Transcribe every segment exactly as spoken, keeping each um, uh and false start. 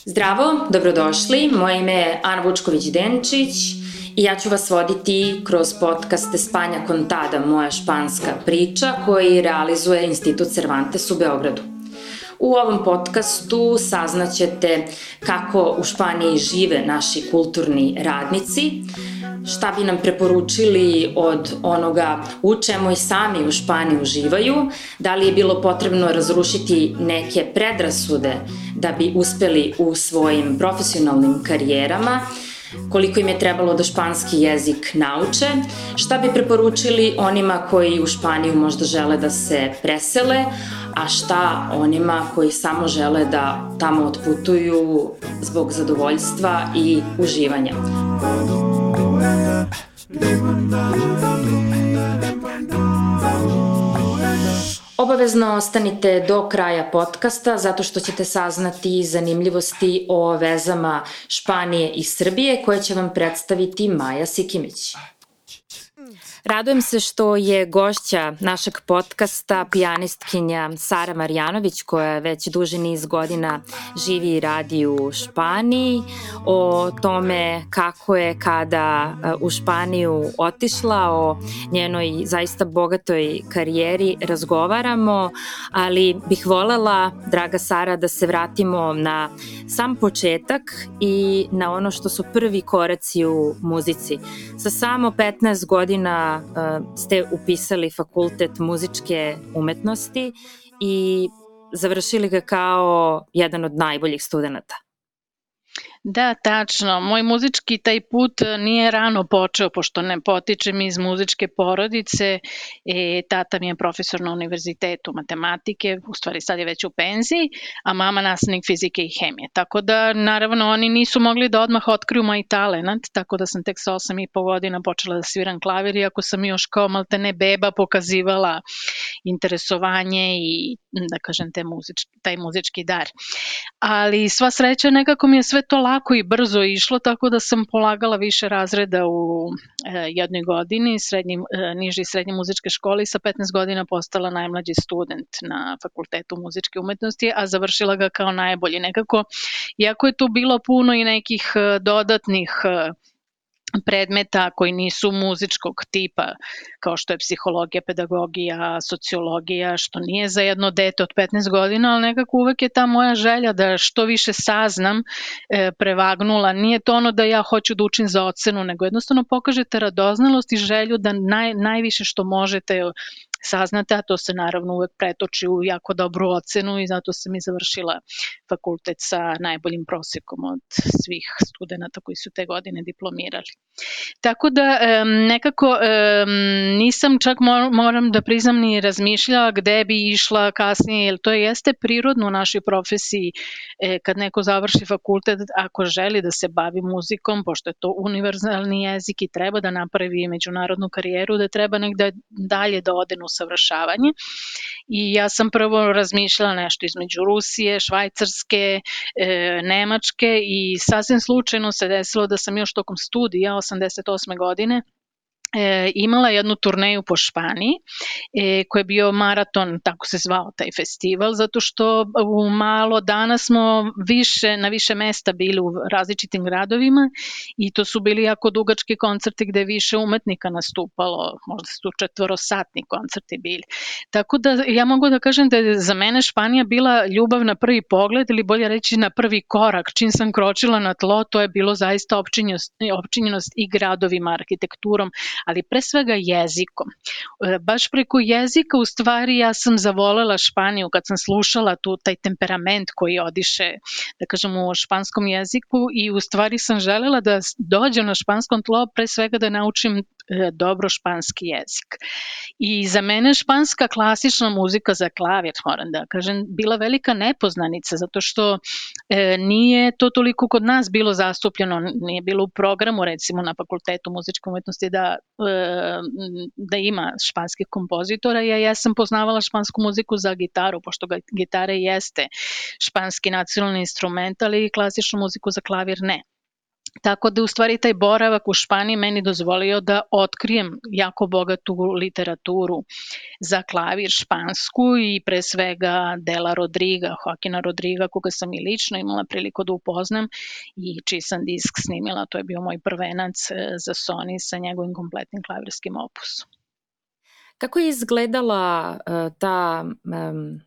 Zdravo, dobrodošli. Moje ime je Ana Vučković-Denčić i ja ću vas voditi kroz podcast España Contada, moja španska priča, koji realizuje Institut Cervantes u Beogradu. U ovom podcastu saznaćete kako u Španiji žive naši kulturni radnici, šta bi nam preporučili od onoga u čemu i sami u Španiji uživaju, da li je bilo potrebno razrušiti neke predrasude da bi uspeli u svojim profesionalnim karijerama, koliko im je trebalo da španski jezik nauče, šta bi preporučili onima koji u Španiju možda žele da se presele, a šta onima koji samo žele da tamo otputuju zbog zadovoljstva i uživanja. Obavezno ostanite do kraja podcasta zato što ćete saznati zanimljivosti o vezama Španije i Srbije koje će vam predstaviti Maja Sikimić. Radujem se što je gošća našeg podcasta pijanistkinja Sara Marjanović, koja već duži niz godina živi i radi u Španiji. O tome kako je kada u Španiju otišla, o njenoj zaista bogatoj karijeri razgovaramo, ali bih volela, draga Sara, da se vratimo na sam početak i na ono što su prvi koraci u muzici. Sa samo petnaest godina ste upisali fakultet muzičke umetnosti i završili ga kao jedan od najboljih studenata. Da, tačno. Moj muzički taj put nije rano počeo, pošto ne potičem iz muzičke porodice. E, tata mi je profesor na univerzitetu matematike, u stvari sad je već u penziji, a mama nastavnik fizike i hemije. Tako da, naravno, oni nisu mogli da odmah otkriju moj talent, tako da sam tek sa osam i po godina počela da sviram klavir, iako sam još kao maltene beba pokazivala interesovanje i, da kažem, te muzički, taj muzički dar. Ali sva sreća, nekako mi je sve to lako i brzo išlo, tako da sam polagala više razreda u e, jednoj godini, srednji, e, niži i srednje muzičke škole i sa petnaest godina postala najmlađi student na Fakultetu muzičke umetnosti, a završila ga kao najbolji. Nekako, iako je tu bilo puno i nekih e, dodatnih e, predmeta koji nisu muzičkog tipa, kao što je psihologija, pedagogija, sociologija, što nije za jedno dete od petnaest godina, ali nekako uvek je ta moja želja da što više saznam e, prevagnula. Nije to ono da ja hoću da učim za ocenu, nego jednostavno pokažete radoznalost i želju da naj, najviše što možete saznate, a to se naravno uvek pretoči u jako dobru ocenu i zato sam i završila fakultet sa najboljim prosekom od svih studenta koji su te godine diplomirali. Tako da nekako nisam čak moram da priznam ni razmišljala gde bi išla kasnije, jer to jeste prirodno u našoj profesiji kad neko završi fakultet, ako želi da se bavi muzikom, pošto je to univerzalni jezik i treba da napravi međunarodnu karijeru, da treba negde dalje da ode na usavršavanje. I ja sam prvo razmišljala nešto između Rusije, Švajcarske, e, Nemačke i sasvim slučajno se desilo da sam još tokom studija osamdeset osme godine E, imala jednu turneju po Španiji e, koji je bio maraton, tako se zvao taj festival, zato što u malo dana smo više, na više mesta bili u različitim gradovima i to su bili jako dugački koncerti gde je više umetnika nastupalo, možda su četvorosatni koncerti bili. Tako da ja mogu da kažem da je za mene Španija bila ljubav na prvi pogled ili bolje reći na prvi korak. Čim sam kročila na tlo, to je bilo zaista opčinjenost, opčinjenost i gradovima, arhitekturom, ali pre svega jezikom. Baš preko jezika u stvari ja sam zavolela Španiju kad sam slušala tu taj temperament koji odiše, da kažem, u španskom jeziku i u stvari sam želela da dođem na španskom tlo pre svega da naučim dobro španski jezik. I za mene španska klasična muzika za klavir, moram da kažem, bila velika nepoznanica, zato što e, nije to toliko kod nas bilo zastupljeno, nije bilo u programu, recimo na Fakultetu muzičke umetnosti da, e, da ima španskih kompozitora. Ja, ja sam poznavala špansku muziku za gitaru, pošto ga, gitara jeste španski nacionalni instrument, ali klasičnu muziku za klavir ne. Tako da u stvari taj boravak u Španiji meni dozvolio da otkrijem jako bogatu literaturu za klavir špansku i pre svega dela Rodriga, Joaquina Rodriga, koga sam i lično imala priliku da upoznam i čiji sam disk snimila. To je bio moj prvenac za Sony sa njegovim kompletnim klavirskim opusom. Kako je izgledala uh, ta... Um...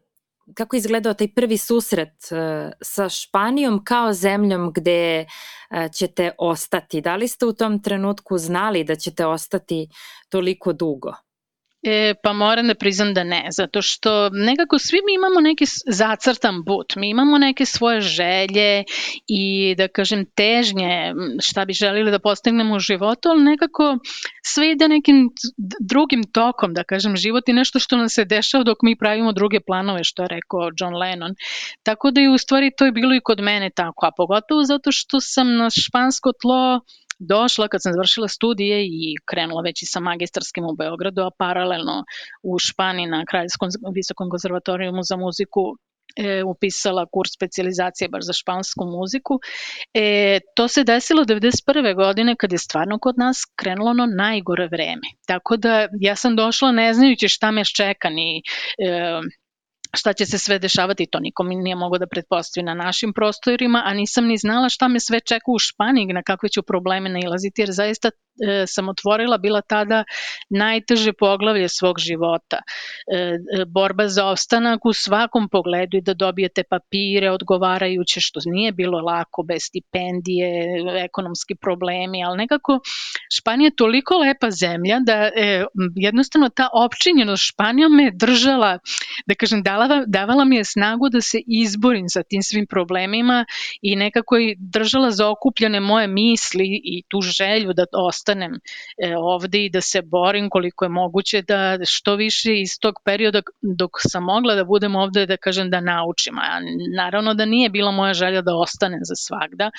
Kako je izgledao taj prvi susret uh, sa Španijom kao zemljom gde uh, ćete ostati? Da li ste u tom trenutku znali da ćete ostati toliko dugo? E, pa moram da priznam da ne, zato što nekako svi mi imamo neki zacrtan put, mi imamo neke svoje želje i da kažem težnje šta bi želili da postignemo u životu, ali nekako sve ide nekim drugim tokom, da kažem, život je nešto što nam se dešava dok mi pravimo druge planove, što je rekao John Lennon. Tako da je u stvari to je bilo i kod mene tako, a pogotovo zato što sam na špansko tlo došla kad sam završila studije i krenula već i sa magistarskim u Beogradu, a paralelno u Španiji na Kraljevskom visokom konzervatorijumu za muziku e, upisala kurs specijalizacije baš za špansku muziku. E, to se desilo devedeset prve godine kad je stvarno kod nas krenulo ono najgore vreme. Tako da ja sam došla ne znajući šta me čeka ni... E, šta će se sve dešavati, to nikom nije mogo da pretpostavi na našim prostorima, a nisam ni znala šta me sve čeka u Španiji, na kakve ću probleme nailaziti, jer zaista e, sam otvorila bila tada najteže poglavlje svog života. E, borba za opstanak u svakom pogledu i da dobijete papire odgovarajuće, što nije bilo lako, bez stipendije, ekonomski problemi, ali nekako Španija je toliko lepa zemlja da e, jednostavno ta opčinjenost Španijom me držala, da kažem, dala davala mi je snagu da se izborim sa tim svim problemima i nekako i držala zaokupljene moje misli i tu želju da ostanem ovde i da se borim koliko je moguće da što više iz tog perioda dok sam mogla da budem ovde, da kažem, da naučim. A naravno da nije bila moja želja da ostanem za svagda.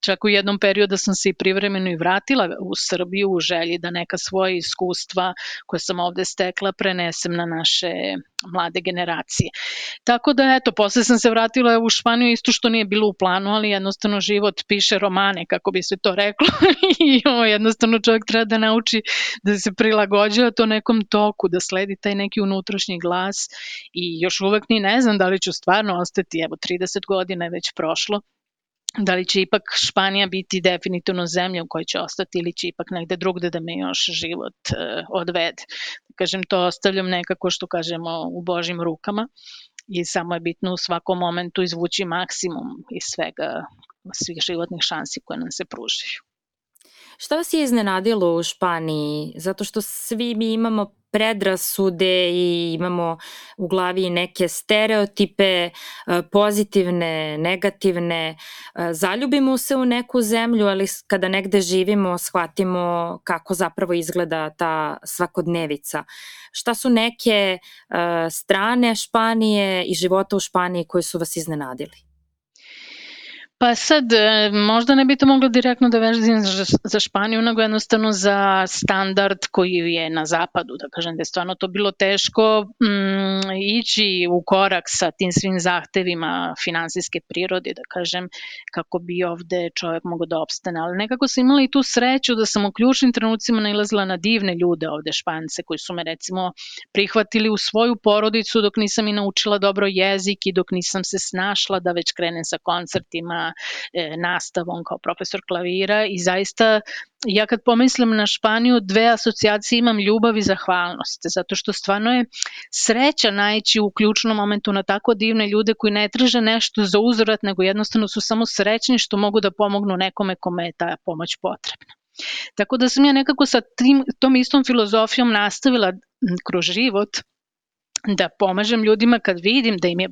Čak u jednom periodu sam se i privremeno i vratila u Srbiju u želji da neka svoja iskustva koje sam ovde stekla prenesem na naše mlade generacije. Tako da, eto, posle sam se vratila u Španiju, isto što nije bilo u planu, ali jednostavno život piše romane, kako bi se to reklo, i ovo, jednostavno čovjek treba da nauči da se prilagođava to nekom toku, da sledi taj neki unutrašnji glas i još uvek ni ne znam da li ću stvarno ostati, evo, trideset godina je već prošlo, da li će ipak Španija biti definitivno zemlja u kojoj će ostati ili će ipak negde drugde da me još život uh, odvede. Kažem, to ostavljam nekako, što kažemo, u Božjim rukama i samo je bitno u svakom momentu izvući maksimum iz svega, svih životnih šansi koje nam se pružaju. Šta vas je iznenadilo u Španiji? Zato što svi mi imamo predrasude i imamo u glavi neke stereotipe, pozitivne, negativne. Zaljubimo se u neku zemlju, ali kada negde živimo, shvatimo kako zapravo izgleda ta svakodnevica. Šta su neke strane Španije i života u Španiji koje su vas iznenadili? Pa sad, možda ne bi to moglo direktno da vežem za Španiju, nego jednostavno za standard koji je na zapadu, da kažem da je stvarno to bilo teško mm, ići u korak sa tim svim zahtevima finansijske prirode, da kažem, kako bi ovde čovjek mogao da opstane. Ali nekako sam imala i tu sreću da sam u ključnim trenucima nailazila na divne ljude ovde, Špance, koji su me recimo prihvatili u svoju porodicu dok nisam i naučila dobro jezik i dok nisam se snašla da već krenem sa koncertima, nastavom kao profesor klavira i zaista ja kad pomislim na Španiju dve asocijacije imam, ljubav i zahvalnost, zato što stvarno je sreća naići u ključnom momentu na tako divne ljude koji ne traže nešto za uzvrat, nego jednostavno su samo srećni što mogu da pomognu nekome kome je ta pomoć potrebna. Tako da sam ja nekako sa tim, tom istom filozofijom nastavila kroz život da pomažem ljudima kad vidim da im je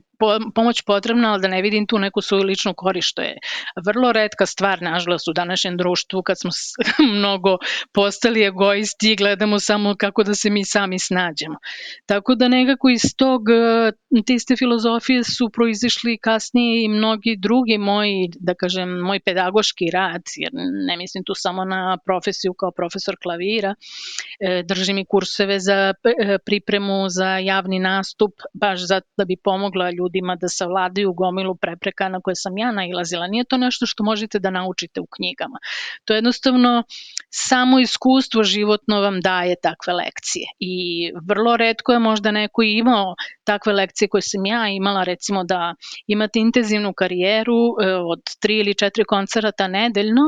pomoć potrebna, ali da ne vidim tu neku svoju ličnu korist, što je vrlo retka stvar, nažalost, u današnjem društvu kad smo mnogo postali egoisti i gledamo samo kako da se mi sami snađemo. Tako da nekako iz tog, te iste filozofije su proizišli kasnije i mnogi drugi moji, da kažem, moj pedagoški rad, jer ne mislim tu samo na profesiju kao profesor klavira, držim i kurseve za pripremu za javni nastup, baš zato da bi pomogla ljudima ljudima da savladaju gomilu prepreka na koje sam ja nailazila. Nije to nešto što možete da naučite u knjigama. To je jednostavno samo iskustvo životno vam daje takve lekcije i vrlo retko je možda neko imao takve lekcije koje sam ja imala, recimo da imate intenzivnu karijeru od tri ili četiri koncerta nedeljno,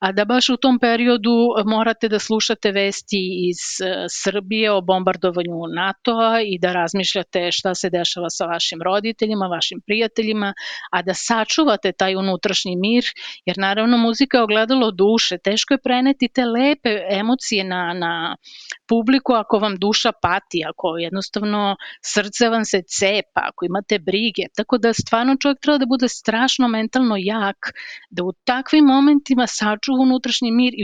a da baš u tom periodu morate da slušate vesti iz Srbije o bombardovanju NATO-a i da razmišljate šta se dešava sa vašim roditeljima, vašim prijateljima, a da sačuvate taj unutrašnji mir, jer naravno muzika je ogledalo duše, teško je preneti te lepe emocije na, na publiku ako vam duša pati, ako jednostavno srce vam se cepa, ako imate brige, tako da stvarno čovjek treba da bude strašno mentalno jak, da u takvim momentima sačuva unutrašnji mir i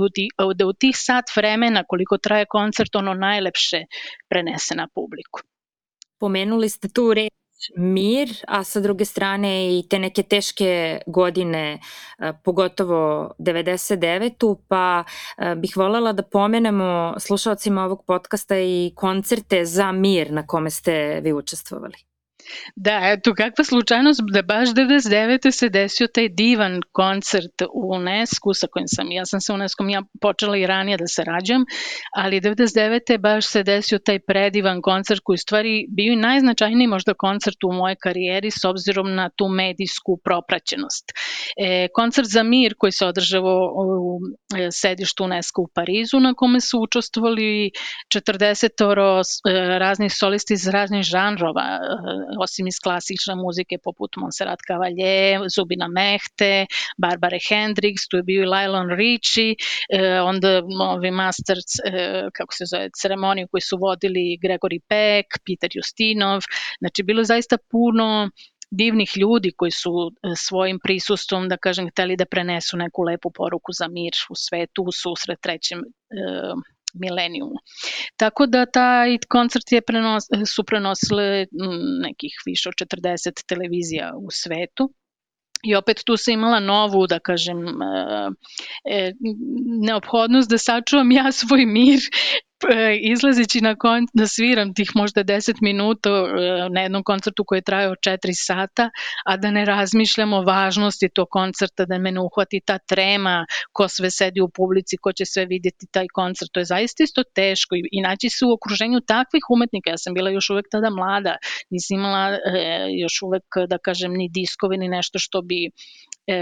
da u tih sat vremena koliko traje koncert ono najlepše prenese na publiku. Pomenuli ste tu reč mir, a sa druge strane i te neke teške godine, pogotovo devedeset devetu, pa bih voljela da pomenemo slušalcima ovog podcasta i koncerte za mir na kome ste vi učestvovali. Da, eto, kakva slučajnost da baš devedeset devete se desio taj divan koncert u UNESCO sa kojim sam, ja sam sa UNESCO ja počela i ranije da se rađam, ali devedeset devete baš se desio taj predivan koncert koji u stvari bio i najznačajniji možda koncert u mojoj karijeri s obzirom na tu medijsku propraćenost. E, koncert za mir koji se održavao u sedištu UNESCO u Parizu na kome su učestvovali četrdesetoro raznih solisti iz raznih žanrova, osim iz klasične muzike poput Montserrat Caballé, Zubina Mehte, Barbara Hendricks, tu je bio i Lionel Richie, eh, onda ovi masters, eh, kako se zove, ceremoniju koji su vodili Gregory Peck, Peter Justinov, znači bilo je zaista puno divnih ljudi koji su svojim prisustvom, da kažem, hteli da prenesu neku lepu poruku za mir u svetu u susret trećem eh, milenijumu. Tako da taj koncert je prenos, su prenosile nekih više od četrdeset televizija u svetu. I opet tu sam imala novu, da kažem, e, neophodnost da sačuvam ja svoj mir izlazeći na kon, da sviram tih možda deset minuta na jednom koncertu koji je trajao četiri sata, a da ne razmišljam o važnosti tog koncerta, da me ne uhvati ta trema, ko sve sedi u publici, ko će sve vidjeti taj koncert. To je zaista isto teško i, i naći se u okruženju takvih umetnika. Ja sam bila još uvek tada mlada, nisam imala e, još uvek, da kažem, ni diskovi, ni nešto što bi E,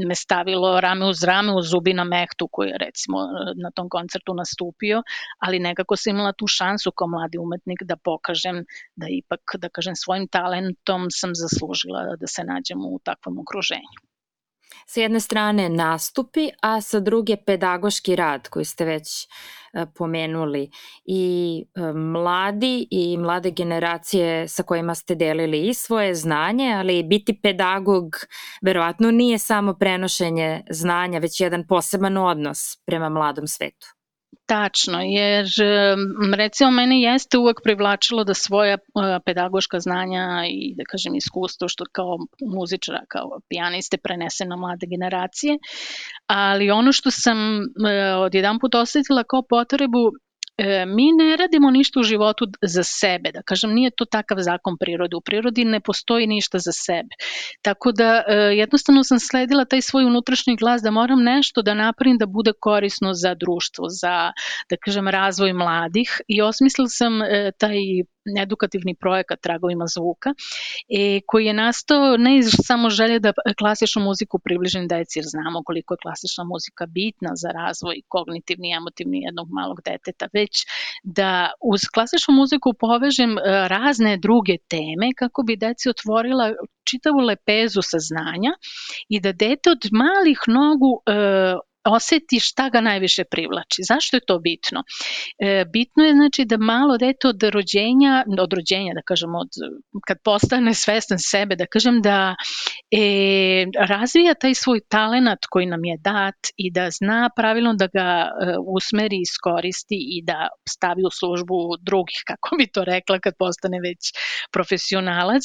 me stavilo rame uz rame uz Zubina Mehtu koji je recimo na tom koncertu nastupio, ali nekako sam imala tu šansu kao mladi umetnik da pokažem da ipak, da kažem, svojim talentom sam zaslužila da se nađem u takvom okruženju. Sa jedne strane nastupi, a sa druge pedagoški rad koji ste već pomenuli i mladi i mlade generacije sa kojima ste delili i svoje znanje, ali biti pedagog verovatno nije samo prenošenje znanja, već jedan poseban odnos prema mladom svetu. Tačno, jer recimo mene jeste uvek privlačilo da svoja pedagoška znanja i da kažem iskustvo što kao muzičara, kao pijaniste prenese na mlade generacije, ali ono što sam odjedan put osetila kao potrebu, mi ne radimo ništa u životu za sebe, da kažem, nije to takav zakon prirode, u prirodi ne postoji ništa za sebe, tako da jednostavno sam sledila taj svoj unutrašnji glas da moram nešto da napravim da bude korisno za društvo, za, da kažem, razvoj mladih i osmislila sam taj edukativni projekat Tragovima zvuka e, koji je nastao ne iz samo želje da klasičnu muziku približim deci jer znamo koliko je klasična muzika bitna za razvoj kognitivni i emotivni jednog malog deteta, već da uz klasičnu muziku povežem razne druge teme kako bi deci otvorila čitavu lepezu saznanja i da dete od malih nogu e, oseti šta ga najviše privlači. Zašto je to bitno? E, bitno je znači da malo dete od rođenja, od rođenja da kažem, od, kad postane svestan sebe, da kažem da e, razvija taj svoj talenat koji nam je dat i da zna pravilno da ga e, usmeri, iskoristi i da stavi u službu drugih, kako bi to rekla kad postane već profesionalac,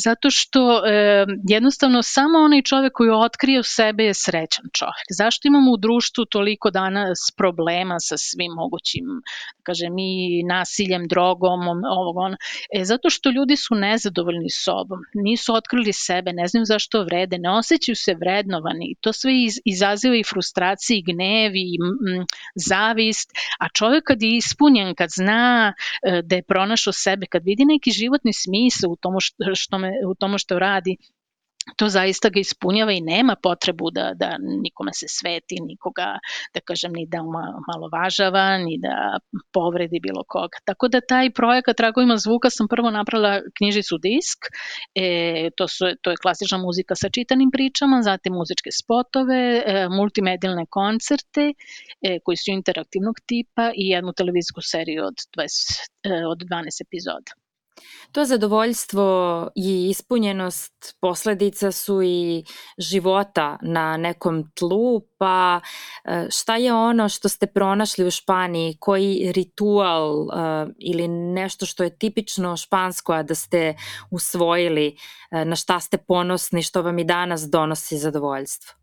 zato što e, jednostavno samo onaj čovek koji otkrije u sebe je srećan čovek. Zašto imamo u društvu toliko danas problema sa svim mogućim, da kažem, i nasiljem, drogom, ovog on, e, zato što ljudi su nezadovoljni sobom, nisu otkrili sebe, ne znaju zašto vrede, ne osjećaju se vrednovani, to sve iz, izaziva i frustracije, i gnev, i m, zavist, a čovjek kad je ispunjen, kad zna e, da je pronašao sebe, kad vidi neki životni smisao u tomu što, što, me, u tomu što radi, to zaista ga ispunjava i nema potrebu da, da nikome se sveti, nikoga, da kažem, ni da malovažava, ni da povredi bilo koga. Tako da taj projekat Tragovima zvuka sam prvo napravila knjižicu disk, e, to, su, to je klasična muzika sa čitanim pričama, zatim muzičke spotove, e, multimedijalne koncerte e, koji su interaktivnog tipa i jednu televizijsku seriju od, dvadeset, e, od dvanaest epizoda. To zadovoljstvo i ispunjenost posledica su i života na nekom tlu, pa šta je ono što ste pronašli u Španiji, koji ritual uh, ili nešto što je tipično špansko, a da ste usvojili, uh, na šta ste ponosni, što vam i danas donosi zadovoljstvo?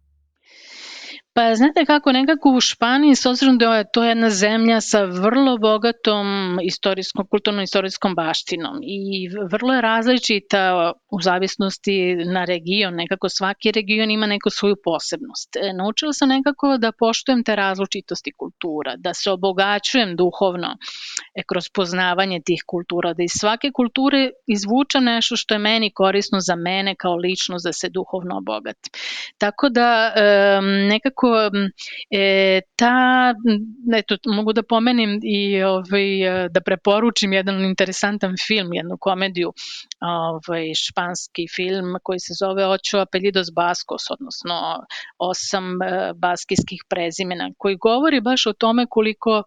Pa znate kako, nekako u Španiji, s obzirom da je to jedna zemlja sa vrlo bogatom istorijskom, kulturno-istorijskom baštinom i vrlo je različita u zavisnosti na region, nekako svaki region ima neku svoju posebnost. Naučila sam nekako da poštujem te različitosti kultura, da se obogaćujem duhovno kroz poznavanje tih kultura, da iz svake kulture izvučem nešto što je meni korisno za mene kao ličnost, da se duhovno obogatim. Tako da nekako E, ta, eto, mogu da pomenim i ovaj, da preporučim jedan interesantan film, jednu komediju, ovaj, španski film koji se zove Ocho apellidos baskos, odnosno osam e, baskijskih prezimena, koji govori baš o tome koliko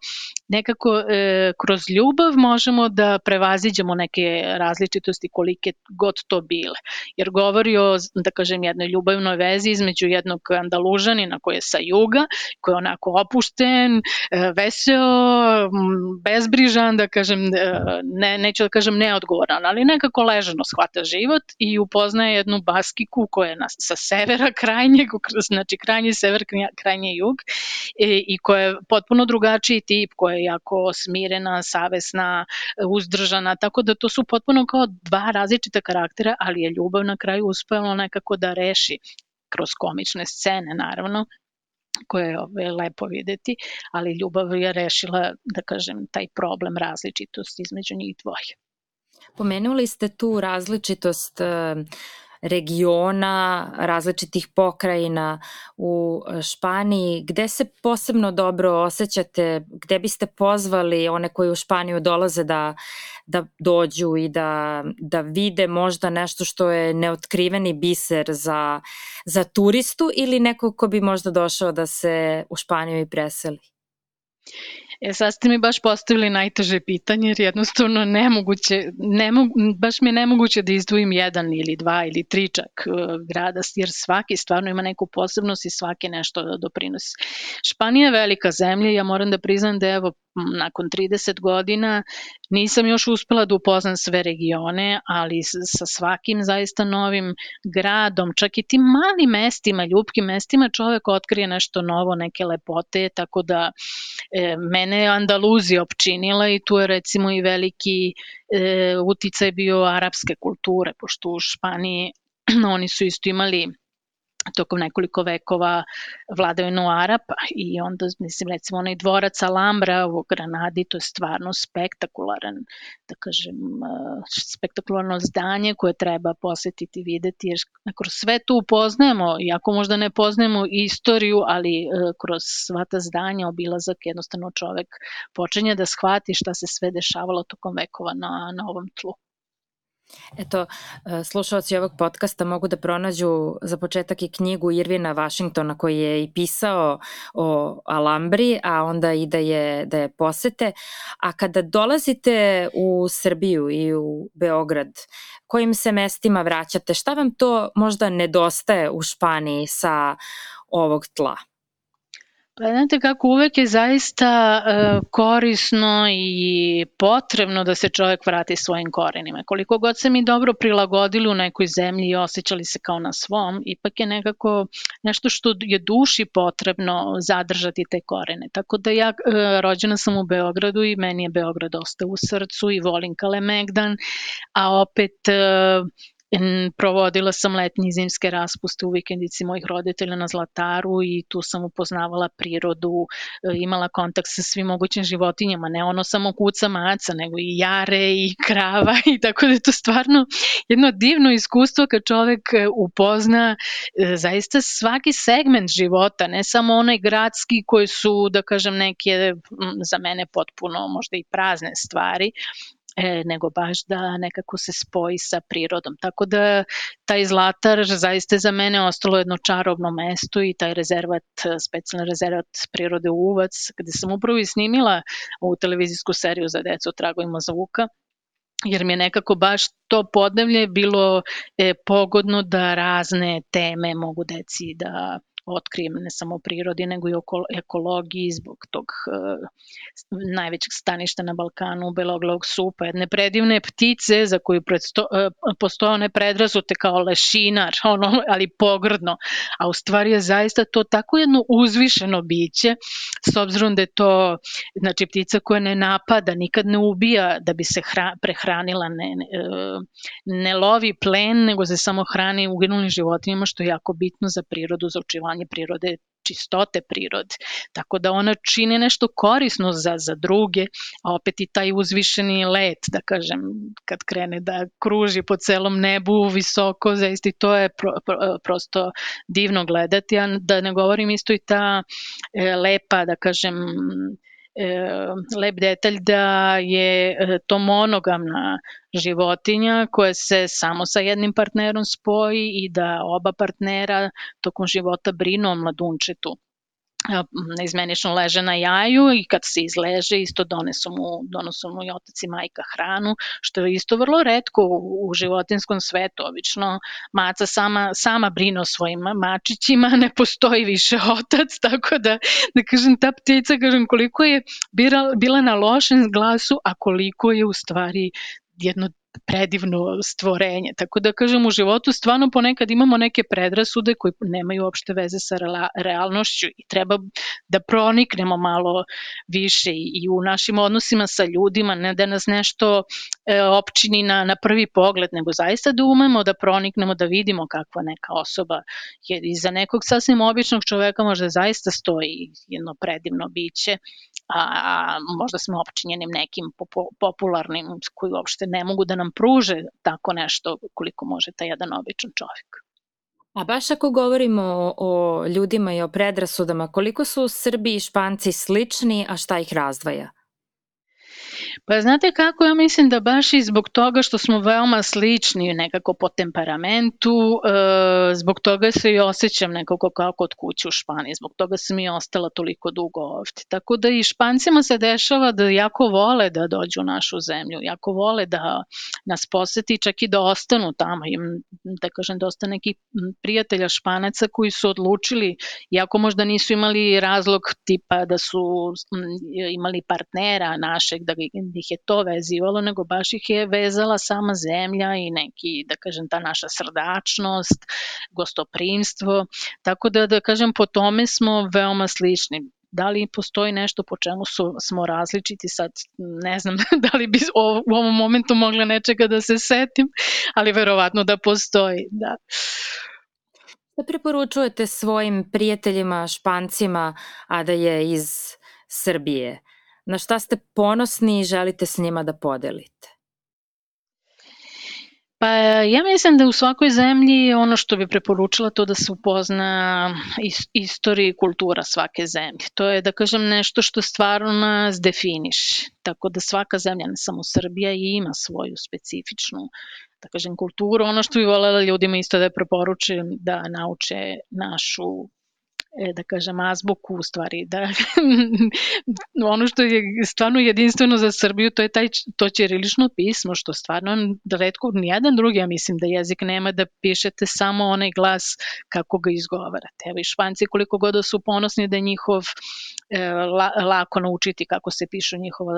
nekako e, kroz ljubav možemo da prevaziđemo neke različitosti kolike god to bile. Jer govori o, da kažem, jednoj ljubavnoj vezi između jednog Andalužanina koji je sa juga, koji je onako opušten, veseo, bezbrižan, da kažem, ne, neću da kažem neodgovoran, ali nekako ležano shvata život i upoznaje jednu Baskiku koja je na, sa severa krajnjeg, znači krajnji sever, krajnji jug, i, i koja je potpuno drugačiji tip, koja je jako smirena, savesna, uzdržana, tako da to su potpuno kao dva različita karaktera, ali je ljubav na kraju uspela nekako da reši kroz komične scene, naravno, koje je ove, lepo videti, ali ljubav je rešila, da kažem, taj problem različitosti između njih dvoje. Pomenuli ste tu različitost regiona, različitih pokrajina u Španiji. Gde se posebno dobro osjećate, gde biste pozvali one koji u Španiju dolaze da, da dođu i da, da vide možda nešto što je neotkriveni biser za, za turistu ili neko ko bi možda došao da se u Španiju i preseli? E, sad ste mi baš postavili najteže pitanje, jer jednostavno nemoguće, nemog, baš mi je nemoguće da izdvojim jedan ili dva ili tri čak grada, jer svaki stvarno ima neku posebnost i svaki nešto da doprinosi. Španija je velika zemlja, ja moram da priznam da evo nakon trideset godina nisam još uspela da upoznam sve regione, ali sa svakim zaista novim gradom, čak i tim malim mestima, ljupkim mestima, čovek otkrije nešto novo, neke lepote, tako da e, mene je Andaluzija opčinila i tu je recimo i veliki e, uticaj bio arapske kulture, pošto u Španiji oni su isto imali tokom nekoliko vekova vladavinu Arapa i onda, mislim, recimo onaj dvorac Alhambra u Granadi, to je stvarno spektakularan, da kažem, spektakularno zdanje koje treba posetiti i videti, jer kroz sve to upoznajemo, iako možda ne poznajemo istoriju, ali kroz sva ta zdanja, obilazak, jednostavno čovek počinje da shvati šta se sve dešavalo tokom vekova na, na ovom tlu. Eto, slušaoci ovog podcasta mogu da pronađu za početak i knjigu Irvina Washingtona koji je i pisao o Alhambri, a onda i da je, da je posete. A kada dolazite u Srbiju i u Beograd, kojim se mestima vraćate? Šta vam to možda nedostaje u Španiji sa ovog tla? Pa znate kako, uvek je zaista uh, korisno i potrebno da se čovek vrati svojim korenima. Koliko god se mi dobro prilagodili u nekoj zemlji i osjećali se kao na svom, ipak je nekako nešto što je duši potrebno zadržati te korene. Tako da ja uh, rođena sam u Beogradu i meni je Beograd ostao u srcu i volim Kalemegdan, a opet uh, provodila sam letnje i zimske raspuste u vikendici mojih roditelja na Zlataru i tu sam upoznavala prirodu, imala kontakt sa svim mogućim životinjama, ne ono samo kuca maca, nego i jare i krava i tako da je to stvarno jedno divno iskustvo kad čovek upozna zaista svaki segment života, ne samo onaj gradski koji su, da kažem, neke za mene potpuno možda i prazne stvari, E, nego baš da nekako se spoji sa prirodom. Tako da taj Zlatar zaista za mene ostalo jedno čarobno mesto i taj rezervat, specijalni rezervat prirode Uvac, gde sam upravo i snimila ovu televizijsku seriju za decu o tragovima zvuka, jer mi je nekako baš to podneblje bilo e, pogodno da razne teme mogu deci da otkrijem ne samo o prirodi, nego i o ekologiji zbog tog uh, najvećeg staništa na Balkanu, beloglavog supa, jedne predivne ptice za koju predsto, uh, postoje one predrasute kao lešinar, ono, ali pogrdno, a u stvari je zaista to tako jedno uzvišeno biće, s obzirom da je to, znači, ptica koja ne napada, nikad ne ubija da bi se hra, prehranila, ne, ne, ne lovi plen, nego se samo hrani uginulim životinjama, što je jako bitno za prirodu, za očuvanje prirode, čistote prirode. Tako da ona čini nešto korisno za, za druge, a opet i taj uzvišeni let, da kažem, kad krene da kruži po celom nebu visoko, zaista to je pro, pro, prosto divno gledati, a da ne govorim isto i ta e, lepa, da kažem, lep detalj da je to monogamna životinja koja se samo sa jednim partnerom spoji i da oba partnera tokom života brinu o mladunčetu. Neizmenično leže na jaju i kad se izleže isto donesu mu, donesu mu i otac i majka hranu, što je isto vrlo retko u, u životinskom svetu. Obično maca sama, sama brine o svojim mačićima, ne postoji više otac, tako da, da kažem, ta ptica, kažem, koliko je bila, bila na lošem glasu, a koliko je u stvari jedno predivno stvorenje. Tako da kažem, u životu stvarno ponekad imamo neke predrasude koje nemaju uopšte veze sa realnošću i treba da proniknemo malo više i u našim odnosima sa ljudima, ne da nas nešto e, opčini na, na prvi pogled, nego zaista da umemo da proniknemo, da vidimo kakva neka osoba je. Iza nekog sasvim običnog čoveka možda zaista stoji jedno predivno biće, a možda smo opčinjenim nekim popularnim koji uopšte ne mogu da nam pruže tako nešto koliko može taj jedan običan čovjek. A baš ako govorimo o, o ljudima i o predrasudama, koliko su Srbi i Španci slični, a šta ih razdvaja? Pa znate kako, ja mislim da baš i zbog toga što smo veoma slični nekako po temperamentu, e, zbog toga se i osjećam nekako kao kod kuće u Španiji, zbog toga sam i ostala toliko dugo ovde. Tako da i Špancima se dešava da jako vole da dođu u našu zemlju, jako vole da nas poseti, čak i da ostanu tamo. Imam, da kažem, dosta nekih prijatelja Španaca koji su odlučili, iako možda nisu imali razlog tipa da su imali partnera našeg, da ih je to vezivalo, nego baš ih je vezala sama zemlja i neki, da kažem, ta naša srdačnost, gostoprimstvo, tako da, da kažem, po tome smo veoma slični. Da li postoji nešto po čemu su, smo različiti, sad ne znam da li bi u ovom momentu mogla nečega da se setim, ali verovatno da postoji, da. Da preporučujete svojim prijateljima, Špancima, a da je iz Srbije? Na šta ste ponosni i želite s njima da podelite? Pa ja mislim da u svakoj zemlji ono što bi preporučila to da se upozna istorija i kultura svake zemlje. To je, da kažem, nešto što stvarno nas definiše. Tako da svaka zemlja, ne samo Srbija, ima svoju specifičnu, da kažem, kulturu. Ono što bi voljela ljudima isto da preporučujem da nauče našu da kažem, azbuku u stvari, da ono što je stvarno jedinstveno za Srbiju, to je taj, to ćirilično pismo, što stvarno redko, nijedan drugi, ja mislim da jezik nema da pišete samo onaj glas kako ga izgovarate. Evo i Španci koliko god da su ponosni da je njihov la, lako naučiti kako se pišu njihova,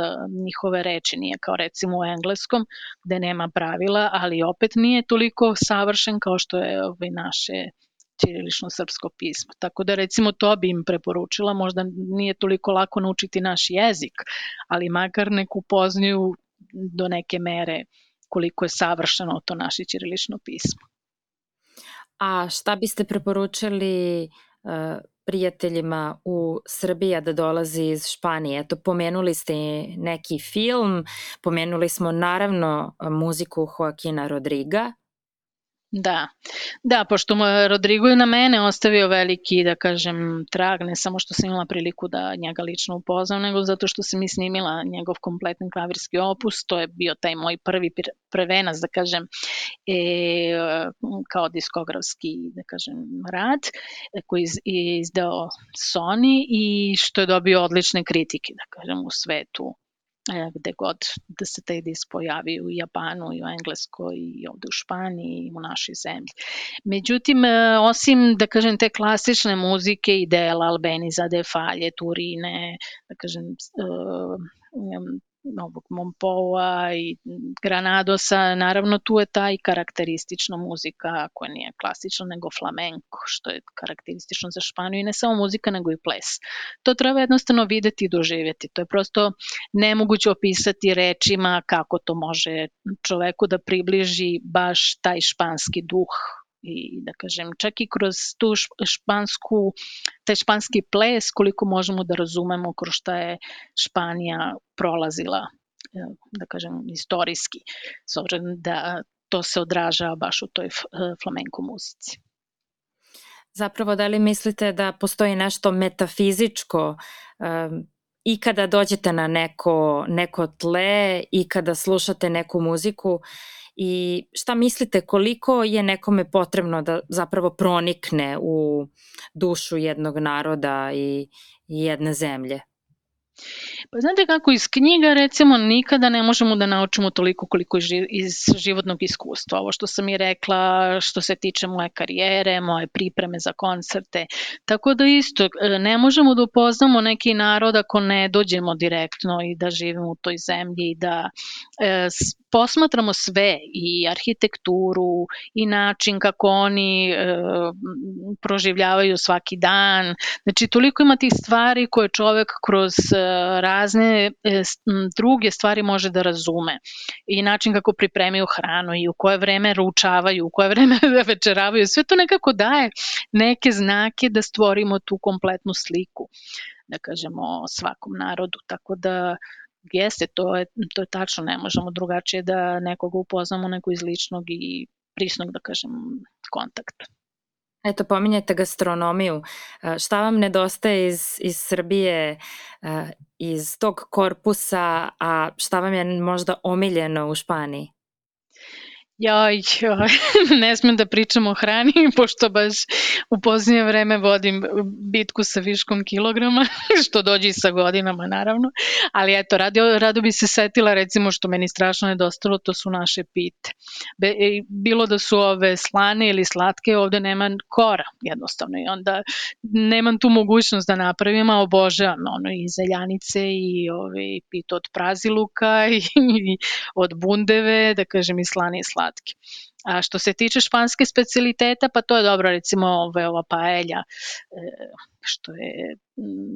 njihove reči, nije kao recimo u engleskom gde nema pravila, ali opet nije toliko savršen kao što je ovaj naše ćirilično srpsko pismo. Tako da recimo to bi im preporučila, možda nije toliko lako naučiti naš jezik, ali makar neku upoznaju do neke mere koliko je savršeno to naše ćirilično pismo. A šta biste preporučili uh, prijateljima u Srbiji da dolazi iz Španije? Eto, pomenuli ste neki film, pomenuli smo naravno muziku Joaquina Rodriga. Da, da, pošto Rodrigo je na mene ostavio veliki, da kažem, trag, ne samo što sam imala priliku da njega lično upoznam, nego zato što sam i snimila njegov kompletni klavirski opus, to je bio taj moj prvi prvenac, da kažem, e, kao diskografski, da kažem, rad, koji je izdao Sony i što je dobio odlične kritike, da kažem, u svetu, gde god da se taj disk pojavi, u Japanu i u Engleskoj i ovde u Španiji i u našoj zemlji. Međutim, osim, da kažem, te klasične muzike i dela Albeniza, De Falje, Turine, da kažem, Novog Mompoa i Granadosa, naravno tu je ta i karakteristična muzika koja nije klasična nego flamenko, što je karakteristično za Španiju i ne samo muzika nego i ples. To treba jednostavno videti i doživjeti, to je prosto nemoguće opisati rečima kako to može čoveku da približi baš taj španski duh i da kažem čak i kroz tu špansku, taj španski ples koliko možemo da razumemo kroz šta je Španija prolazila, da kažem istorijski, s obzirom da to se odražava baš u toj flamenko muzici. Zapravo, da li mislite da postoji nešto metafizičko um, i kada dođete na neko, neko tle i kada slušate neku muziku i šta mislite koliko je nekome potrebno da zapravo pronikne u dušu jednog naroda i, i jedne zemlje? Pa znate kako, iz knjiga recimo nikada ne možemo da naučimo toliko koliko iz životnog iskustva. Ovo što sam i rekla, što se tiče moje karijere, moje pripreme za koncerte. Tako da isto, ne možemo da upoznamo neki narod ako ne dođemo direktno i da živimo u toj zemlji i da e, posmatramo sve, i arhitekturu, i način kako oni e, proživljavaju svaki dan. Znači, toliko ima tih stvari koje čovek kroz razne e, druge stvari može da razume. I način kako pripremaju hranu i u koje vreme ručavaju, u koje vreme večeravaju. Sve to nekako daje neke znake da stvorimo tu kompletnu sliku, da kažemo, o svakom narodu. Tako da jeste, to je, to je tačno, ne možemo drugačije da nekoga upoznamo nego iz ličnog i prisnog, da kažem, kontakta. Eto, pominjete gastronomiju. Šta vam nedostaje iz, iz Srbije, iz tog korpusa, a šta vam je možda omiljeno u Španiji? Joj, joj, ne smem da pričam o hrani, pošto baš u posljednje vreme vodim bitku sa viškom kilograma, što dođe i sa godinama, naravno. Ali eto, rado, rado bi se setila, recimo, što meni strašno nedostalo, to su naše pite. Be, bilo da su ove slane ili slatke, ovde nema kora, jednostavno. I onda nemam tu mogućnost da napravim, a obožavam ono, i zeljanice i ove, pito od praziluka i, i od bundeve, da kažem, i slane i slatke. A što se tiče španske specialiteta, pa to je dobro, recimo ove, ova paelja, što je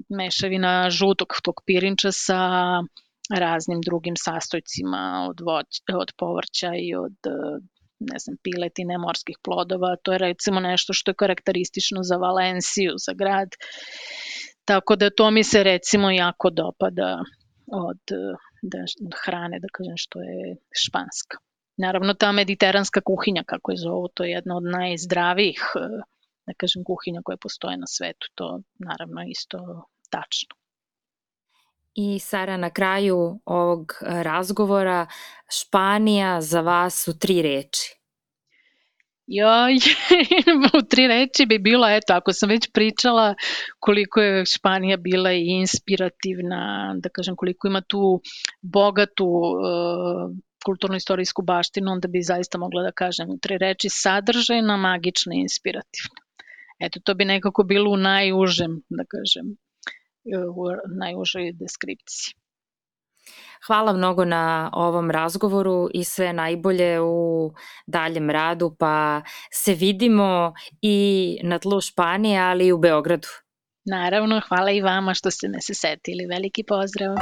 mešavina žutog tog pirinča sa raznim drugim sastojcima od, voć, od povrća i od, ne znam, piletine, morskih plodova. To je recimo nešto što je karakteristično za Valenciju, za grad. Tako da to mi se recimo jako dopada od, da, od hrane, da kažem, što je španska. Naravno, ta mediteranska kuhinja, kako je zovu, to je jedna od najzdravijih, da kažem, kuhinja koje postoje na svetu. To naravno isto tačno. I Sara, na kraju ovog razgovora, Španija za vas su tri reči. Joj, u tri reči bi bilo, eto, ako sam već pričala koliko je Španija bila i inspirativna, da kažem koliko ima tu bogatu uh, kulturno-istorijsku baštinu, onda bi zaista mogla da kažem u tri reči sadržajna, magična i inspirativna. Eto, to bi nekako bilo u najužem, da kažem, u najužoj deskripciji. Hvala mnogo na ovom razgovoru i sve najbolje u daljem radu, pa se vidimo i na tlu Španije, ali i u Beogradu. Naravno, hvala i vama što ste me se setili. Veliki pozdrav!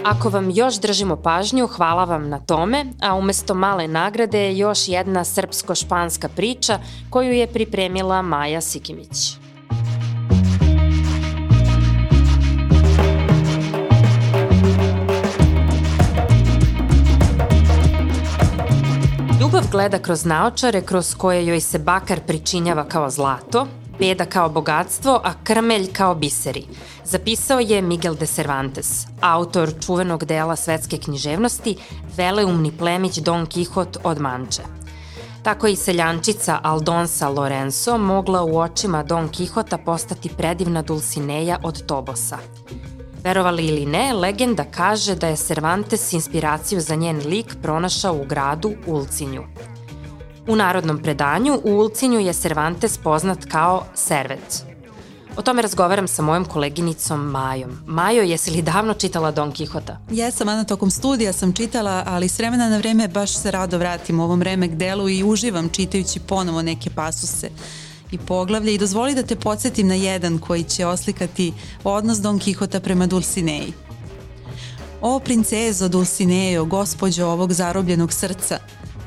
Ako vam još držimo pažnju, hvala vam na tome, a umesto male nagrade još jedna srpsko-španska priča koju je pripremila Maja Sikimić. Ljubav gleda kroz naočare kroz koje joj se bakar pričinjava kao zlato, beda kao bogatstvo, a krmelj kao biseri. Zapisao je Miguel de Cervantes, autor čuvenog dela svetske književnosti, veleumni plemić Don Kihot od Manče. Tako i seljančica Aldonsa Lorenzo mogla u očima Don Kihota postati predivna Dulcinea od Tobosa. Verovali ili ne, legenda kaže da je Cervantes inspiraciju za njen lik pronašao u gradu Ulcinju. U narodnom predanju u Ulcinju je Cervantes poznat kao Servet. O tome razgovaram sa mojom koleginicom Majom. Majo, jesi li davno čitala Don Kihota? Jesam, Ana, tokom studija sam čitala, ali s vremena na vreme baš se rado vratim u ovom remek delu i uživam čitajući ponovo neke pasuse i poglavlje i dozvoli da te podsjetim na jedan koji će oslikati odnos Don Kihota prema Dulcineji. O princezo Dulcineo, gospođo ovog zarobljenog srca,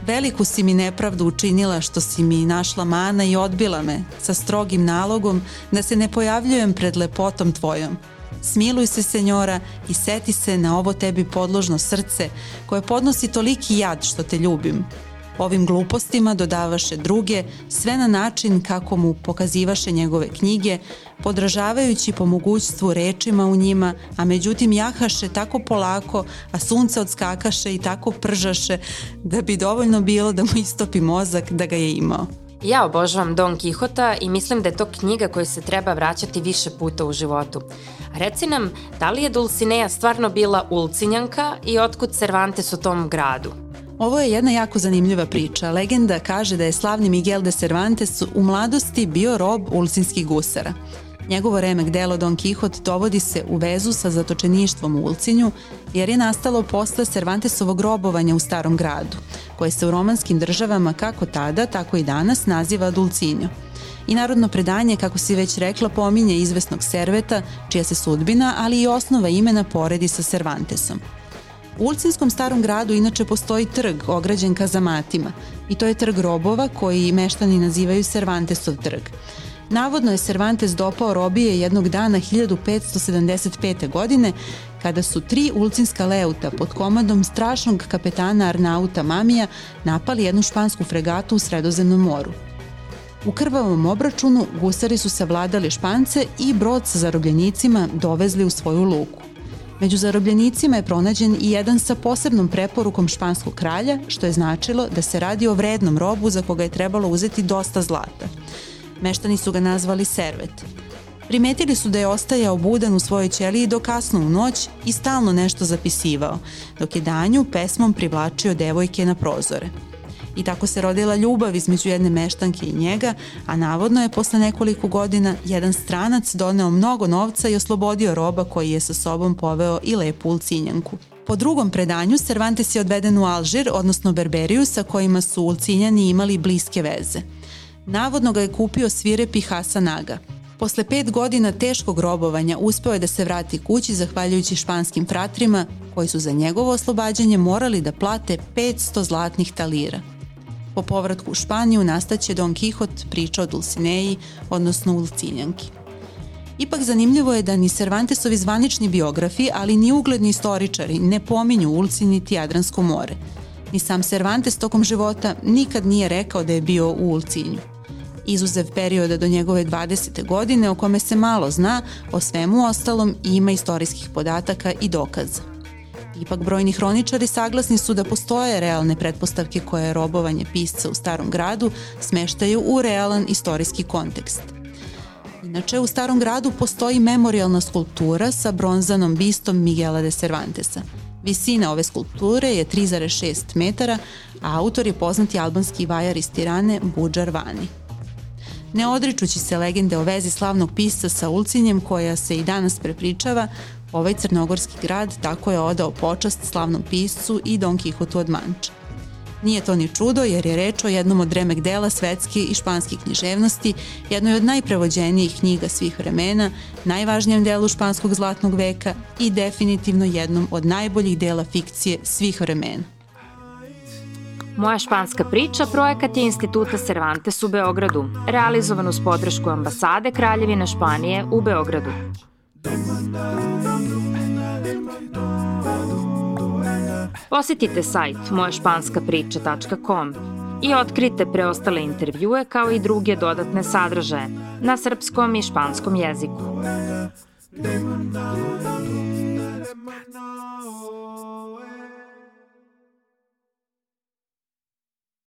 veliku si mi nepravdu učinila što si mi našla mana i odbila me sa strogim nalogom da se ne pojavljujem pred lepotom tvojom. Smiluj se, senjora, i seti se na ovo tebi podložno srce koje podnosi toliki jad što te ljubim. Ovim glupostima dodavaše druge, sve na način kako mu pokazivaše njegove knjige, podražavajući po mogućstvu rečima u njima, a međutim jahaše tako polako, a sunce odskakaše i tako pržaše, da bi dovoljno bilo da mu istopi mozak da ga je imao. Ja obožavam Don Kihota i mislim da je to knjiga koju se treba vraćati više puta u životu. Reci nam, da li je Dulcinea stvarno bila Ulcinjanka i otkud Cervantes u tom gradu? Ovo je jedna jako zanimljiva priča. Legenda kaže da je slavni Miguel de Cervantes u mladosti bio rob ulcinskih gusara. Njegovo remek delo Don Kihot dovodi se u vezu sa zatočeništvom u Ulcinju, jer je nastalo posle Cervantesovog robovanja u Starom gradu, koje se u romanskim državama kako tada, tako i danas naziva Dulcinjo. I narodno predanje, kako si već rekla, pominje izvesnog Serveta, čija se sudbina, ali i osnova imena poredi sa Cervantesom. U Ulcinskom Starom gradu inače postoji trg ograđen kazamatima i to je trg robova koji meštani nazivaju Cervantesov trg. Navodno je Cervantes dopao robije jednog dana hiljadu petsto sedamdeset pete. godine kada su tri ulcinska leuta pod komadom strašnog kapetana Arnauta Mamija napali jednu špansku fregatu u Sredozemnom moru. U krvavom obračunu gusari su savladali Špance i brod sa zarobljenicima dovezli u svoju luku. Među zarobljenicima je pronađen i jedan sa posebnom preporukom španskog kralja, što je značilo da se radi o vrednom robu za koga je trebalo uzeti dosta zlata. Meštani su ga nazvali Servet. Primetili su da je ostajao budan u svojoj ćeliji do kasno u noć i stalno nešto zapisivao, dok je danju pesmom privlačio devojke na prozore. I tako se rodila ljubav između jedne meštanke i njega, a navodno je posle nekoliko godina jedan stranac doneo mnogo novca i oslobodio roba koji je sa sobom poveo i lepu Ulcinjanku. Po drugom predanju, Cervantes je odveden u Alžir, odnosno Berberiju, sa kojima su Ulcinjani imali bliske veze. Navodno ga je kupio svirepi Hasan Aga. Posle pet godina teškog robovanja uspeo je da se vrati kući zahvaljujući španskim fratrima, koji su za njegovo oslobađanje morali da plate petsto zlatnih talira. Po povratku u Španiju nastaće Don Kihot, priča o Dulcineji, odnosno Ulcinjanki. Ipak zanimljivo je da ni Cervantesovi zvanični biografi, ali ni ugledni istoričari ne pominju Ulcinj niti Jadransko more. Ni sam Cervantes tokom života nikad nije rekao da je bio u Ulcinju. izuzev perioda do njegove dvadesete godine o kome se malo zna, o svemu ostalom ima istorijskih podataka i dokaza. Ipak brojni hroničari saglasni su da postoje realne pretpostavke koje robovanje pisca u Starom gradu smeštaju u realan istorijski kontekst. Inače, u Starom gradu postoji memorijalna skulptura sa bronzanom bistom Miguela de Cervantesa. Visina ove skulpture je tri zarez šest metara, a autor je poznati albanski vajar iz Tirane Budžar Vani. Ne odričući se legende o vezi slavnog pisca sa Ulcinjem koja se i danas prepričava, ovaj crnogorski grad tako je odao počast slavnom piscu i Don Kihotu od Manča. Nije to ni čudo jer je reč o jednom od remek dela svetske i španske književnosti, jednoj od najprevođenijih knjiga svih vremena, najvažnijem delu španskog zlatnog veka i definitivno jednom od najboljih dela fikcije svih vremena. Moja španska priča projekat je Instituta Cervantes u Beogradu, realizovan uz podršku ambasade Kraljevine Španije u Beogradu. Posjetite sajt moja španska priča tačka com i otkrite preostale intervjue kao i druge dodatne sadržaje na srpskom i španskom jeziku.